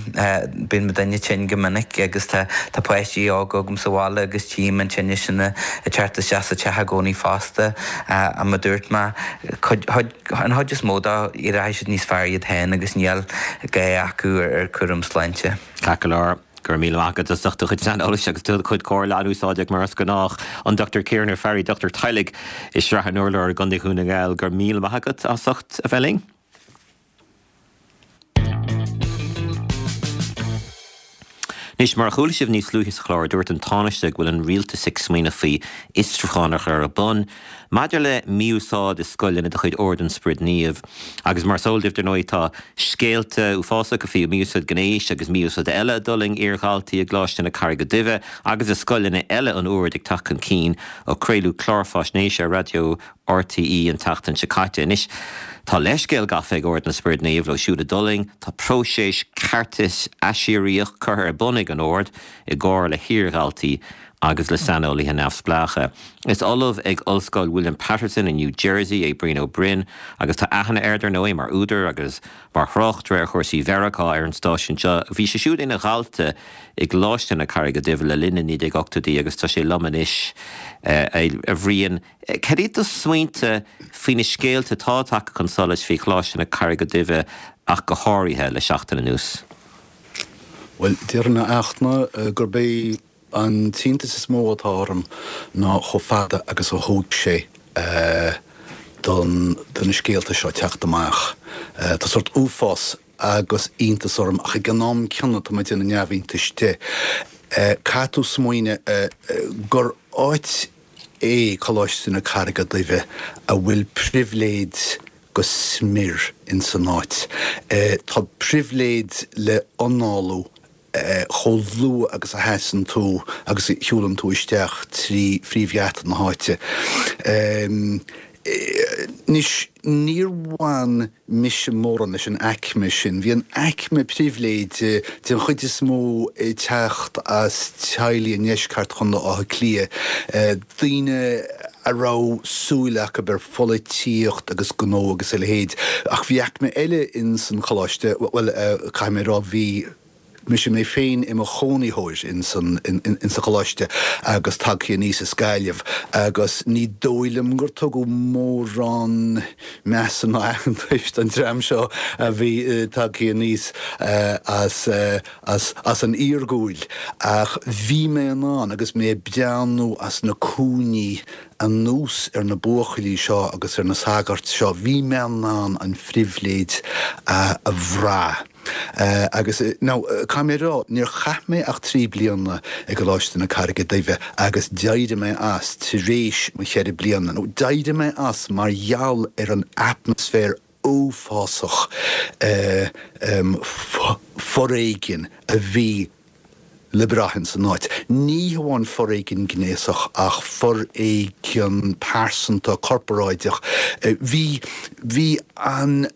bíonn muidinne tinn go minic agus tá, tá páistí óga agam sa bhaile agus tchím an tinneas sin ag teacht isteach sa teach i gcónaí fosta. Mar a dúirt mé, cuid, an chuid is mó dó, éireoidh siad níos fearr iad féin agus níl gá acu ar chúram sláinte. Ceart go leor, go raibh míle maith agat as ucht do chuid saineolais agus do chuid comhairle an-úsáideach mar is gnách. An Dochtúir Ciarán Ó Fearraigh, dochtúir teaghlaigh i Srath an Urláir i gContae Dhún na nGall, go raibh míle maith agat as ucht a bheith linn. Anois, mar a chuala sibh níos luaithe sa chlár, dúirt an Tánaiste go bhfuil an rialtas ag smaoineamh faoi fhiosrúchán a chur ar bun maidir le mí-úsáid i scoileanna de chuid Ord an Spioraid Naoimh. Agus mar is eol daoibh, dar ndóigh, tá scéalta uafásacha faoi mhí-úsáid gnéis agus mí-úsáid eile a d'fhulaing iardhaltaí i gColáiste na Carraige Duibhe agus i scoileanna eile an Oird ag teacht chun cinn ó craoladh clár faisnéise ar raidió RTÉ an tseachtain seo caite. Anois, tá leithscéal gafa ag Ord na Spioraid Naomh leo siúd a d'fhulaing, tá próiseas ceartais aisiríoch curtha ar bun ag an Ord i gcomhar le hiardhaltaí agus le saineolaithe neamhspleácha. Is ollamh ag Ollscoil William Paterson i New Jersey é Brian Ó Broin agus tá aithne air, dar ndóigh, mar údar agus mar thráchtaire ar chúrsaí Mheiriceá ar an stáisiún seo. Bhí sé siúd ina dhalta i gColáiste na Carraige Duibhe le linn na naoi déag ochtóidí agus tá sé liom anois, a Bhriain. Cad iad do smaointe faoi na scéalta atá tagtha chun solais faoi Choláiste na Carraige Duibhe ach go háirithe le seachtain anuas? Bhuel, déarfainn a Fhachtna gurb é an t-iontas is mó atá orm ná chomh fada agus a thóg sé don do na scéalta seo teacht amach. Tá sórt uafás agus iontas orm ach ag an am céanna tá mé ag déanamh neamhiontais de. Caithfidh tú smaoineamh gur áit é Coláiste na Carraige Duibhe a bhfuil pribhléid go smior ins an áit. Tá pribhléid le análú chomh luath agus a sheasann tú agus a shiúlann tú isteach trí phríomhgheata na háite. Anois, níor bhain mise mórán leis an aicme sin. Bhí an aicme pribhléide den chuid is mó ag teacht as teaghlaigh i ndeisceart Chontae Átha Cliath, daoine a raibh súil acu ar pholaitíocht agus gnó agus a leithéid. Ach bhí aicme eile ins an choláiste, bhuel, caithfidh mé a rá, bhí mise mé féin i mo chónaitheoir ins an insa choláiste agus tagtha aníos as Gaillimh agus ní dóigh liom gur tugadh mórán measa ná aitheantais don dream seo a bhí tagtha aníos as as as an iargúil. Ach bhí mé in ann agus mé ag breathnú as na cúinní anuas ar na buachaillí seo agus ar na sagairt seo, bhí mé in ann an phribhléid a bhrath. Agus now, caithfidh mé a rá, níor chaith mé ach trí bliana i gColáiste na Carraige Duibhe agus d'éirigh mé as tar éis mo cheithre bliana, nó d'éirigh mé as mar gheall ar an atmaisféar uafásach foréigin a bhí le brath ins an áit. Ní hamháin foréigean gnéasach ach foréigean pearsanta, corparáideach. Bhí, bhí an,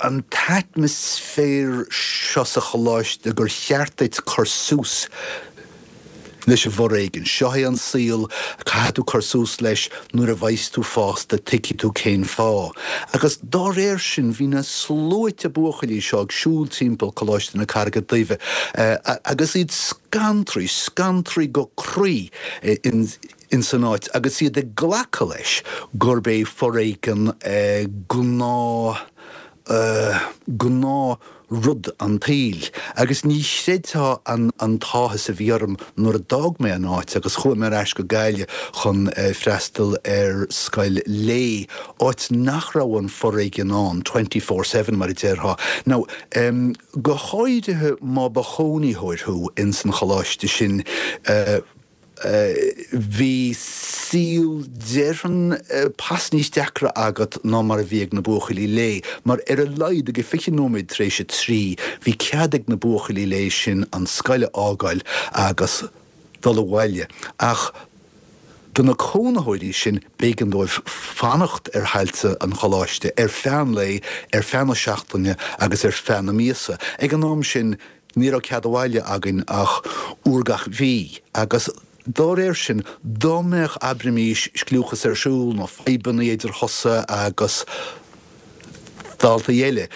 an t-atmaisféar seo sa choláiste gur cheart duit cur suas leis an bhforéigean. Seo é an saol, caithfidh tú cur suas leis, nuair a bheas tú fásta tuigfidh tú cén fáth. Agus dá réir sin bhí na sluaite buachaillí seo ag siúl timpeall Coláiste na Carraige Duibhe agus iad scantraí, scantraí go croí ins an áit agus iad ag glacadh leis gurb é foréigean gnáth, gnáth rud an tsaoil. Agus ní chreidfeá an an t-áthas a bhí orm nuair a d'fhág mé an áit agus chuaigh mé ar ais go Gaillimh chun freastal ar scoil lae, áit nach raibh an foréigean ann twenty four seven mar a déarfá. Now, go háirithe má ba chónaitheoir thú ins an choláiste sin, Bhí saol, déarfainn, pas níos deacra agat ná mar a bhí ag na buachaillí lae, mar ar a laghad ag a fiche nóiméad tar éis a trí, bhí cead ag na buachaillí lae sin an scoil a fhágáil agus dul abhaile. Ach do na cónaitheoirí sin, b'éigean dóibh fanacht ar thailte an choláiste ar feadh an lae, ar feadh na seachtaine agus ar feadh na míosa. Ag an am sin, Ní raibh cead abhaile againn ach uair gach mhí agus dá réir sin, dá mbeadh, abraimís, scliúchas ar siúl nó fadhbanna idir thusa agus daltaí eile,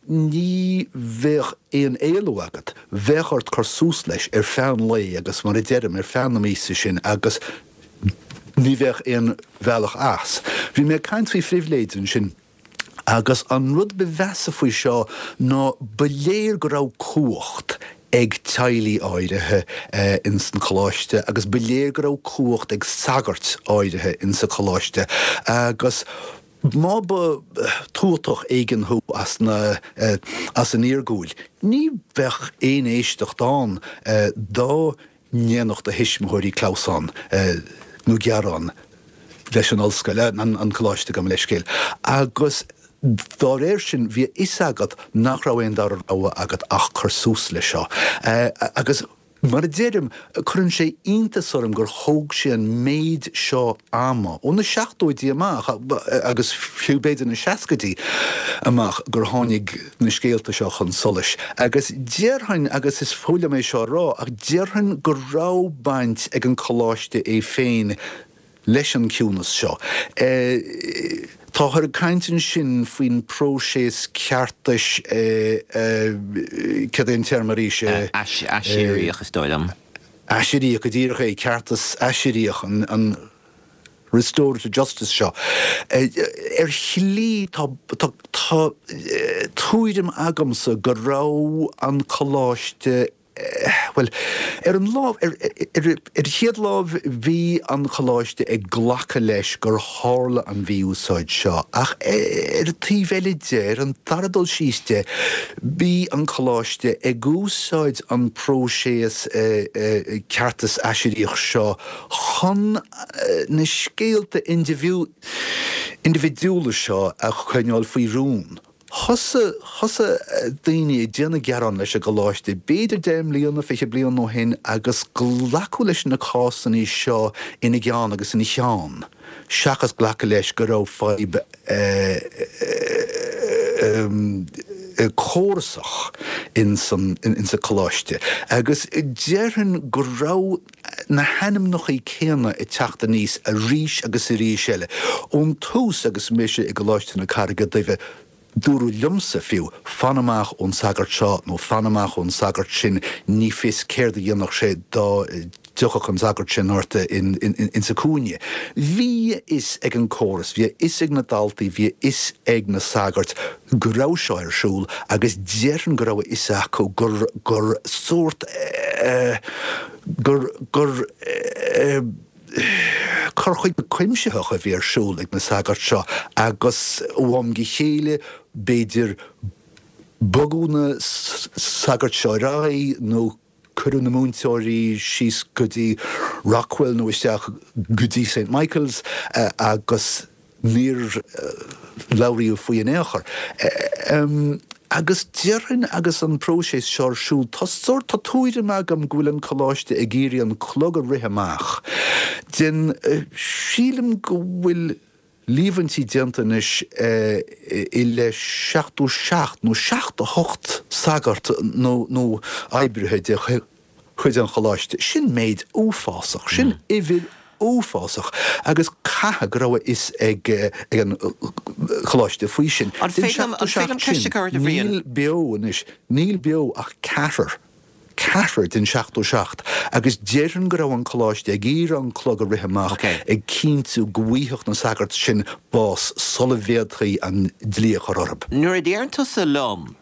ní bheadh aon éalú agat, bheadh ort cur suas leis ar feadh an lae agus, mar a deirim, ar feadh na míosa sin agus ní bheadh aon bhealach as. Bhí mé ag caint faoi phribhléid ansin. Agus an rud ba mheasa faoi seo ná ba léir go raibh cumhacht ag teaghlaigh áirithe ins an choláiste agus ba léir go raibh cumhacht ag sagairt áirithe ins an choláiste agus má ba tuatach éigin thú as na as an iargúil ní bheadh aon éisteacht ann dá ndéanfadh do thuismitheoirí clamhsán nó gearán leis an ollscoil, an coláiste, gabh mo leithscéal, agus dá réir sin bhí a fhios agat nach raibh aon dara rogha agat ach cur suas leis seo. Agus mar a deirim, cuireann sé iontas orm gur thóg sé an méid seo ama, ó na seachtóidí amach, agus fiú b'fhéidir na seascaidí amach, gur tháinig na scéalta seo chun solais. Agus déarfainn, agus is fuath liom é seo a rá, ach déarfainn go raibh baint ag an coláiste é féin leis an ciúnas seo. Táthar ag caint ansin faoin bpróiseas ceartais, cad é an téarma arís? Aisiríoch, is dóigh liom. Aisiríoch, go díreach é, ceartas aisiríoch, an restorative justice seo. Ar shlí, tá tuairim agamsa go raibh an coláiste, Bhuel, ar an lámh, ar an chéad lámh, bhí an Coláiste ag glacadh leis gur tharla an mhí-úsáid seo, ach ar an taobh eile de, ar an dara dul síos de, bhí an Coláiste ag úsáid an próiseas ceartais aisiríoch seo chun na scéalta indibhidiúla seo a choinneáil faoi rún. Thosaigh, thosaigh daoine ag déanamh gearán leis an gcoláiste, b'fhéidir deich mbliana, fiche bliain ó shin agus glacadh leis na cásanna seo ina gceann agus ina cheann, seachas glacadh leis go raibh fadhb córasach ins an, ins an coláiste. Agus déarfainn go raibh na hainmneacha céanna ag teacht aníos arís agus arís eile. Ón tús agus mise i gColáiste na Carraige Duibhe, dúradh liomsa fiú, fan amach ón sagart seo nó fan amach ón sagart sin, ní fios céard a dhéanfadh sé dá dtiocfadh an sagart sin ort insa chúinne. Bhí a fhios ag an córas, bhí a fhios ag na daltaí, bhí a fhios ag na sagairt go raibh seo ar siúl agus déarfainn go raibh a fhios acu gur gur sórt gur gur cur chuige cuimsitheach a bhí ar siúl ag na sagairt seo agus ó am go chéile b'fhéidir bogadh na sagairt seo ar aghaidh nó cuireadh na múinteoirí síos go dtí Rockwell nó isteach go dtí Saint Michael's agus níor labhraíodh faoi in aon chor. Agus déarfainn agus an próiseas seo ar siúl, tá sórt, tá tuairim agam go bhfuil an coláiste ag iarraidh an clog a rith amach den, sílim go bhfuil líomhaintí déanta anois i leith seachtó seacht nó seachtó hocht sagart nó nó oibrithe de chuid an choláiste. Sin méid uafásach, sin uimhir uafásach agus caithfidh go raibh a fhios ag ag an choláiste faoi sin. An Den féidir liom seachtó an féidir liom seacht ceist a sin, chur ort a Bhriain? níl beo anois, níl beo ach ceathrar. ceathrar den seachtó seacht agus déarfainn go raibh an coláiste ag iarraidh an clog a rith amach ag cinntiú go bhfaigheadh na sagairt sin bás sula bhféadfaí an dlí a chur orthu. Nuair a deireann tusa liom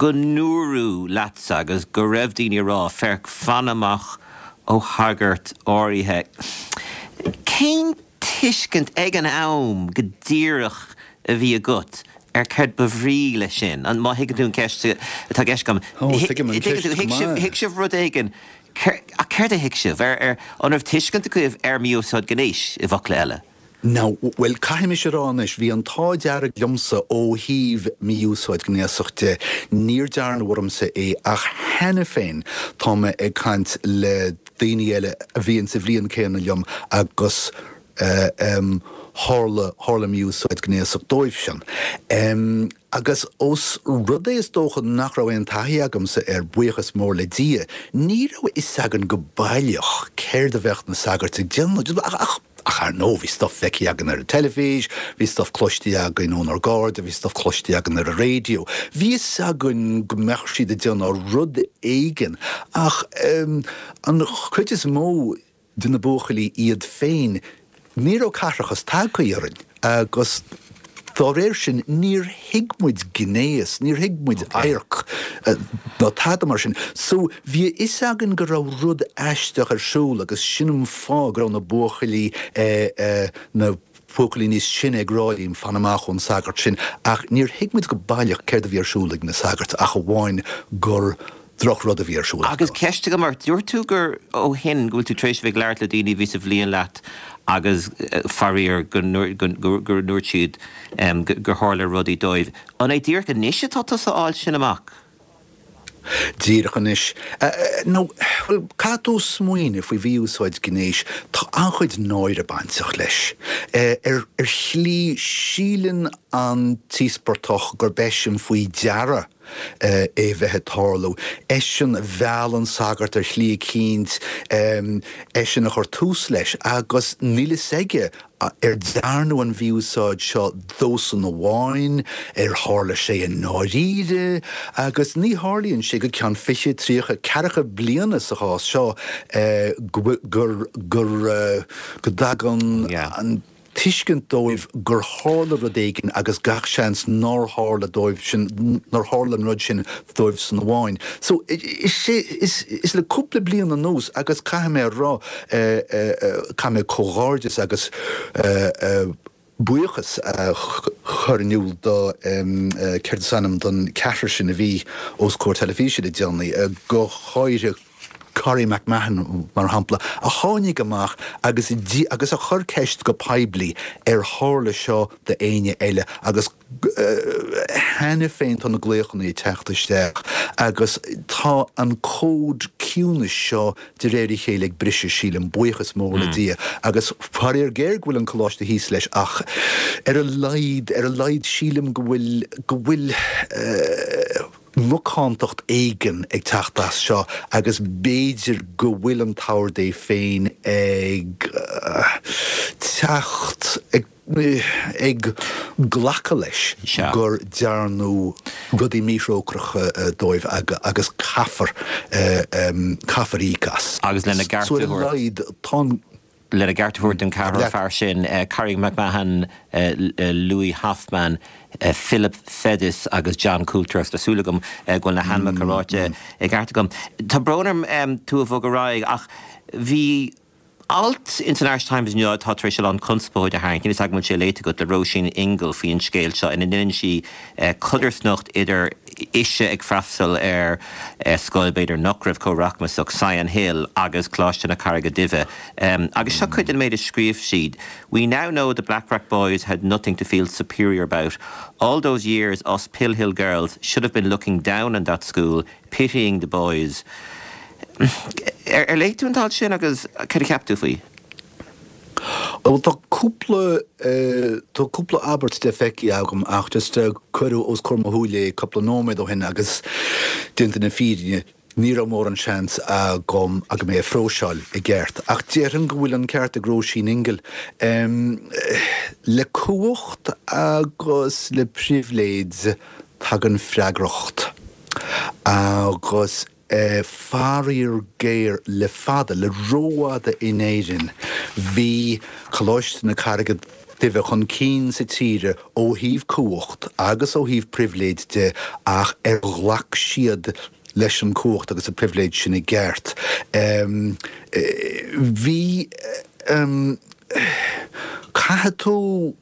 go ndúradh leatsa agus go raibh daoine ag rá, féach, fan amach ó shagart áirithe, cén tuiscint ag an am go díreach a bhí agat ar céard ba bhrí leis sin? An, má thuigeann tú an ceist atá i gceist agam. Ó, tuigim an ceist Thuig go sibh, maith. thuig sibh rud éigin, ach céard a thuig sibh? Ar, ar, an raibh tuiscint agaibh ar mhí-úsáid gnéis, i bhfocla eile? Now, bhuel, caithfidh mise a rá anois, bhí an t-ádh dearg liomsa ó thaobh mí-úsáid gnéasach de, níor dearnadh ormsa é ach cheana féin tá mé ag caint le daoine eile a bhí insa bhliain céanna liom agus eh, em, tharla, tharla mí-úsáid gnéasach dóibhsean. Em, agus ós rud é is dócha nach raibh aon taithí agamsa air, buíochas mór le Dia, ní raibh a fhios againn go baileach céard a bheadh na sagairt ag déanamh. Ach, ach, ach ar ndóigh bhí stuff feicthe againn ar an teilifís, bhí stuff cloiste againn ónár gcairde, bhí stuff cloiste againn ar an raidió. Bhí a fhios againn go mbeadh siad ag déanamh rud éigin ach em, an chuid is mó de na buachaillí iad féin, ní raibh caithreachas tagtha orainn agus dá réir sin níor thuig muid gnéas, níor thuig muid adharc ná tada mar sin. So bhí a fhios againn go raibh rud aisteach ar siúl agus sin an fáth go raibh na buachaillí, na buachaillí níos sine ag rá linn fan amach ón sagart sin ach níor thuig muid go baileach céard a bhí ar siúl ag na sagairt ach amháin gur drochrud a bhí ar siúl Agus acu. ceist agam ort, dúirt tú gur ó shin go bhfuil tú tar éis a bheith ag labhairt le daoine a bhí sa bhliain leat agus faraor go gur ndúirt siad gur tharla rudaí dóibh. An é díreach anois atá tusa a fháil sin amach? Díreach anois. Nó, bhuel, caithfidh tú smaoineamh faoi mhí-úsáid gnéis, tá an-chuid náire bainteach leis. Ar shlí, síleann an t-íospartach gurb eisean faoi deara é a bheith ag tarlú. Eisean a mheall an sagart ar shlí eicínt, eisean a chuir tús leis agus níl fhios aige ar dearnadh an mhí-úsáid seo dósan amháin, ar tharla sé i ndáiríre, agus ní tharlaíonn sé go ceann fiche, tríocha, ceathracha bliana sa chás seo gur gur go dtagann an tuiscint dóibh gur tharla rud éigin agus gach seans nár tharla dóibh sin, nár tharla an rud sin dóibhsan amháin. So, is é, is, is le cúpla bliain anuas agus caithfidh mé a rá, caithfidh mé comhghairdeas agus buíochas a chur in iúl do, céard is ainm don ceathrar sin a bhí os comhair teilifíse le déanaí, go háirithe Corrie McMahon, mar shampla, a tháinig amach agus agus a chuir ceist go poiblí ar tharla seo d'éinne eile agus cheana féin tá na glaochanna ag teacht isteach agus tá an cód ciúnais seo de réir a chéile ag briseadh, sílim, buíochas mór le Dia agus faraor géar go bhfuil an coláiste thíos leis ach ar a laghad, ar a laghad sílim go bhfuil, go bhfuil. macántacht éigin ag teacht as seo agus b'fhéidir go bhfuil an tArd é féin ag teacht ag ag glacadh leis gur dearnadh rudaí míthrócaireacha dóibh agus caithfear caithfear íoc as. Agus lena gceart a thabhairt. Lena gceart a thabhairt don ceathrar fear sin, Carrie McMahon, Louis Hoffman, Philip Fedis agus John Coulter agus tá súil agam go bhfuil na hainmneacha ráite i gceart agam. Tá brón orm tú a bhogadh ar aghaidh ach bhí alt ins an Irish Times inniu atá tar éis a lán conspóide a tharraingt, níl a fhios agam an bhfuil sé léite agat, le Róisín Ingle faoi an scéal seo ina ndeineann sí codarsnacht idir ise ag freastal ar scoil b'fhéidir nach raibh chomh rachmasach, Sion Hill, agus Coláiste na Carraige Duibhe. Agus seo cuid den méid a scríobh siad, We now know the Blackrock boys had nothing to feel superior about. All those years us Pill Hill girls should have been looking down on that school, pitying the boys. Ar léigh tú an t-alt sin agus cad a cheap tú faoi? Bhuel tá cúpla tá cúpla abairt de feicthe agam ach just cuireadh os comhair mo shúile é cúpla nóiméad ó shin agus déanta na fírinne ní raibh mórán seans agam agam é a phróiseáil i gceart. Ach déarfainn go bhfuil an ceart ag Róisín Ingle. Le cumhacht agus le pribhléid tagann freagracht agus Faraor géar, le fada, le rófhada in Éirinn, bhí Coláiste na Carraige Duibhe chun cinn sa tír ó thaobh cumhacht agus ó thaobh pribhléid de ach ar ghlac siad leis an cumhacht agus an pribhléid sin i gceart? Bhí. Caithfidh tú.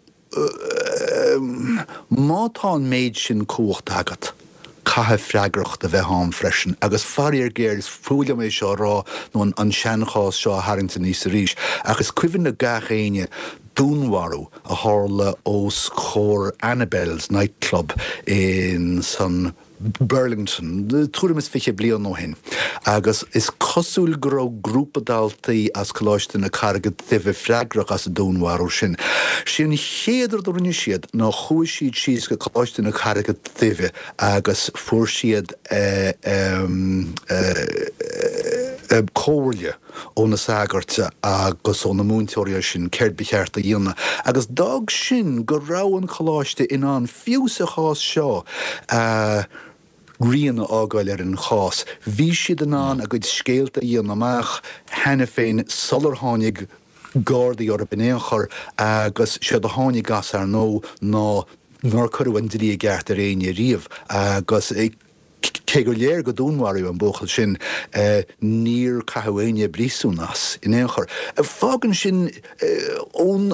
Má tá an méid sin cumhachta agat, caithfidh freagracht a bheith ann freisin. Agus faraor géar, is fuath liom é seo a rá nó an seanchás seo a tharraingt aníos arís, ach is cuimhin le gach éinne dúnmharú a tharla os comhair Annabel's nightclub in san Burlington tuairim is fiche bliain ó shin agus is cosúil go raibh grúpa daltaí as Coláiste na Carraige Duibhe freagrach as an dúnmharú sin. Sé an chéad rud a rinne siad ná chuaigh siad síos go Coláiste na Carraige Duibhe agus fuair siad comhairle ó na sagairt agus ó na múinteoirí ansin céard ba cheart a dhéanamh agus d'fhág sin go raibh an coláiste in ann, fiú sa chás seo, a rian a fhágáil ar an chás. Bhí siad in ann a gcuid scéalta a dhéanamh amach cheana féin sular tháinig Gardaí orthu in aon chor agus séard a tháinig as, ar ndóigh, ná nár cuireadh an dlí i gceart ar éinne riamh agus cé gur léir go dúnmharaíodh an buachaill sin, níor caitheadh éinne i bpríosún as in aon chor. Fágann sin, ón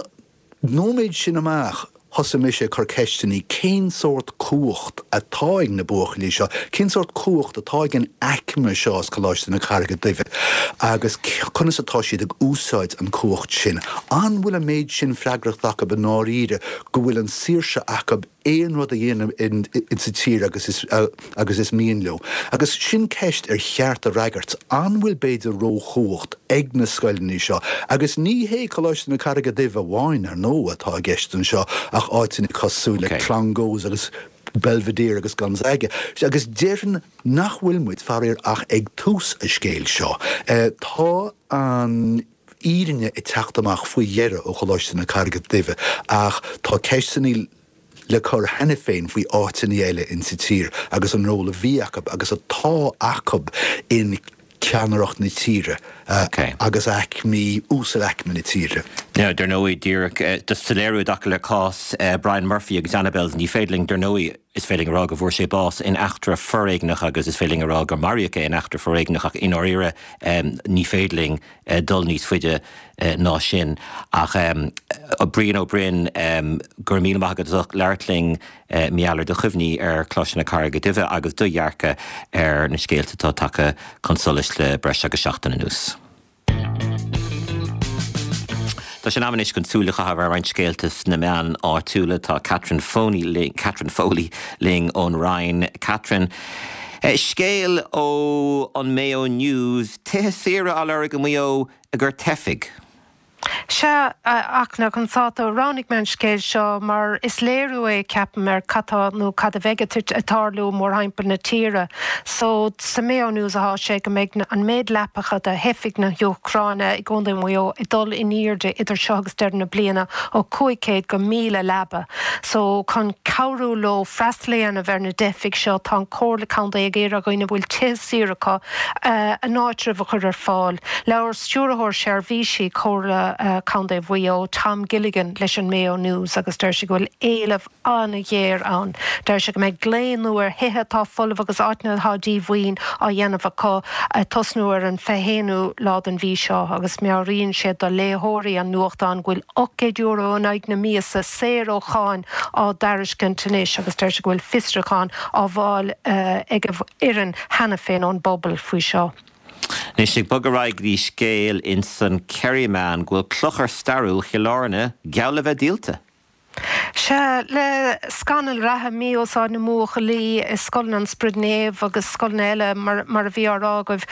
nóiméad sin amach, thosaigh mise ag cur ceisteanna, cén sórt cumhacht atá ag na buachaillí seo? Cén sórt cumhacht atá ag an aicme seo as Coláiste na Carraige Duibhe? Agus conas atá siad ag úsáid an cumhacht sin? An bhfuil an méid sin freagracht acu i ndáiríre go bhfuil an saoirse acu aon rud a dhéanamh insa tír agus is agus is mian leo. Agus sin ceist ar cheart a fhreagairt, an bhfuil b'fhéidir róchumhacht ag na scoileanna seo? Agus ní hé Coláiste na Carraige Duibhe amháin, ar ndóigh, atá i gceist anseo ach áiteanna cosúil le Clongowes agus Belvedere agus Gonzaga. Agus déarfainn nach bhfuil muid, faraor, ach ag tús an scéil seo. Tá an fhírinne ag teacht amach faoi dheireadh ó Choláiste na Carraige Duibhe ach tá ceisteanna le cur cheana féin faoi áiteanna eile insa tír agus an ról a bhí acu agus atá acu in ceannaireacht na tíre agus aicmí, uasalaicme na tíre. Now, dar ndóigh, díreach do soiléiriú i dtaca le cás Brian Murphy agus Annabel's, ní féidir linn, dar ndóigh, is féidir linn a rá go bhfuair sé bás in eachtra foréigneach agus is féidir linn a rá gur maraíodh é in eachtra foréigneach ach i ndáiríre ní féidir linn dul níos faide ná sin. Ach Brian Ó Broin, go raibh míle maith agat as ucht labhairt linn mar gheall ar do chuimhní ar Choláiste na Carraige Duibhe agus do dhearcadh ar na scéalta atá tagtha chun solais le breis agus seachtain anuas. Tá sé in am anois chun súil a chaitheamh ar roinnt scéalta sna meáin áitiúla. Tá Catherine Foley linn ón Rinn. Catherine, scéal ó an Mayo News, tithe saoire á lorg i Maigh Eo i gcomhair teifigh. Sea, a Fhachtna, anso roghnaigh mé an scéal seo mar is léiriú é, ceapaim, ar cad tá nó cad a bheidh ag tarlú mórthimpeall na tíre. So, sa Mayo News atá sé go mbeidh an méid leapacha do theifigh na hÚcráine i gContae Mhaigh Eo ag dul in airde idir seo agus deireadh na bliana ó cúig chéad go míle leaba. So, chun cabhrú leo freastal a dhéanamh ar na teifigh seo, tá an Chomhairle Contae ag iarraidh ar dhaoine a bhfuil tithe saor acu a n-áitreabh a chur ar fáil. Labhair Stiúrthóir Seirbhísí Chomhairle Contae Mhaigh Eo, Tom Gilligan, leis an Mayo News agus deir sé go bhfuil éileamh an-ghéar ann. Deir sé go mbeidh glao nua ar thithe atá folamh agus áiteanna atá díomhaoin á dhéanamh acu ag tosnú ar an fiche haonú lá den mhí seo agus meabhraíonn sé do léitheoirí an nuachtáin go bhfuil ocht gcéad euro in aghaidh na míosa saor ó cháin á dtairiscint anois agus deir sé go bhfuil fiosrúcháin á bhfáil ag a fhoireann cheana féin ón bpobal faoi seo. Anois ag bogadh ar aghaidh go dtí scéal ins an Kerryman go bhfuil clochar stairiúil Chill Airne geall le bheith díolta. Sea, le scannal reatha mí-úsáid na mbuachaillí i scoileanna an Spioraid Naoimh agus scoileanna eile mar mar a bhí á rá agaibh,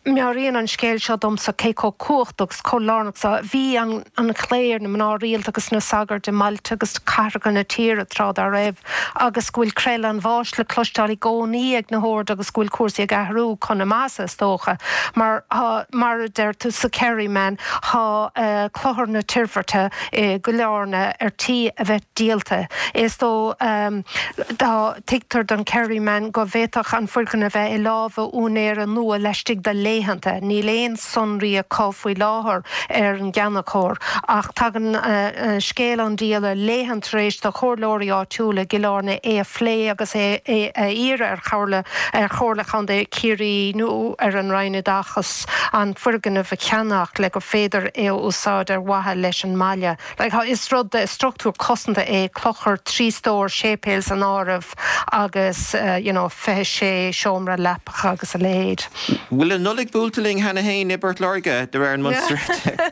meabhraíonn an scéal seo domsa cé chomh cumhachtach 's chomh lárnach 's a bhí an an chléir, na mná rialta agus na sagairt i mbailte agus cathracha na tíre tráth dá raibh agus go bhfuil creill an bháis le cloisteáil i gcónaí ag na hoird agus go bhfuil cúrsaí ag athrú chun na maitheasa is dócha. Mar tá, mar a deir tú sa Kerryman, tá Clochar na Toirbhirte i gCill Airne ar tí a bheith díolta. Is dó, tá, tuigtear don Kerryman go bhféadfadh an foirgneamh a bheith i lámha úinéara nua laistigh de laethanta. Níl aon sonraí acu faoi láthair ar an gceannaitheoir ach tagann scéal an díola laethanta tar éis do chomhairleoirí áitiúla i gCill Airne é a phlé agus é a iarraidh ar Chomhairle ar Chomhairle Chontae Chiarraí nó ar an Roinn Oideachais an foirgneamh a cheannach le gur féidir é a úsáid ar mhaithe leis an mbaile. Is rud de struchtúr cosanta é clochar trí stór, séipéal san áireamh agus you know fiche sé seomra leapacha agus a leithéid. Bhfuil an Nollaig buailte linn cheana féin i bPort Láirge de réir an Munster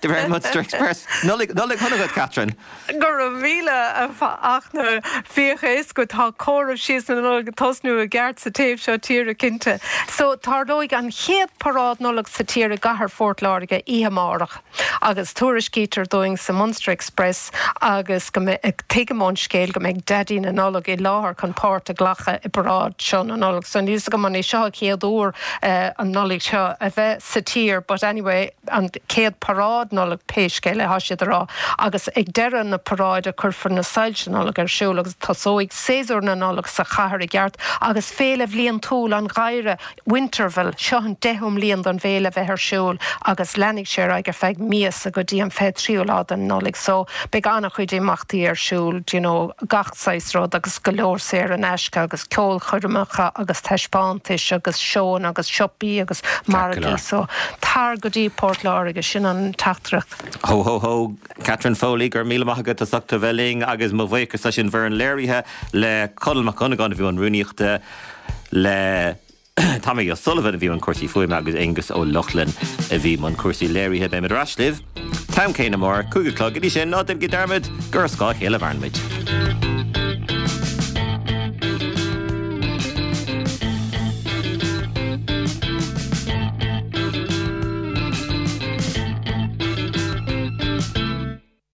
de réir an Munster Express? Nollaig Nollaig shona duit, Catherine. Go raibh míle a Fhachtna. Bíodh a fhios agat tá comhaireamh síos na Nollag ag tosnú i gceart sa taobh seo tíre cinnte. So tarlóidh an chéad paráid Nollag sa tír i gcathair Phort Láirge oíche amárach agus tuairiscítear dúinn sa Munster Express agus go mbeidh, tuigim ón scéal go mbeidh Daidí na Nollag i láthair chun páirt a ghlacadh i bparáid seo na Nollag. So níl 's agam an é seo an chéad uair an Nollaig seo a bheith sa tír but anyway an chéad paráid Nollag pé scéal é, tá siad a rá agus ag deireadh na paráide cuirfear na soilse Nollag ar siúl agus tosóidh séasúr na Nollag sa chathair i gceart agus féile bhliantúil an gheimhridh Winterval, seo an deichiú mbliain don bhféile a bheith ar siúl agus leanfaidh sé ar aghaidh ar feadh míosa go dtí an fiche tríú lá den Nollaig so beidh an-chuid imeachtaí ar siúl do you know gach saghas rud agus go leor saor in aisce agus ceolchoirmeacha agus taispeántais agus seóanna agus siopaí agus margaí so tar go dtí Port Láirge, sin an teachtaireacht. Ho ho ho Catherine Foley, go raibh míle maith agat as ucht a bheith linn agus mo bhuíochas leis an bhfoireann léirithe, le Conall Mac Dhonnagáin a bhí i mbun rúnaíochta, le Tommy O'Sullivan a bhí i mbun cúrsaí fuaime agus Aengus Ó Lochlainn a bhí i mbun cúrsaí léirithe. Beimid ar ais libh t-am céanna amárach, cúig a chlog. Go dtí sin, ná déanaigí dearmad gur ar scáth a chéile a mhaireann muid.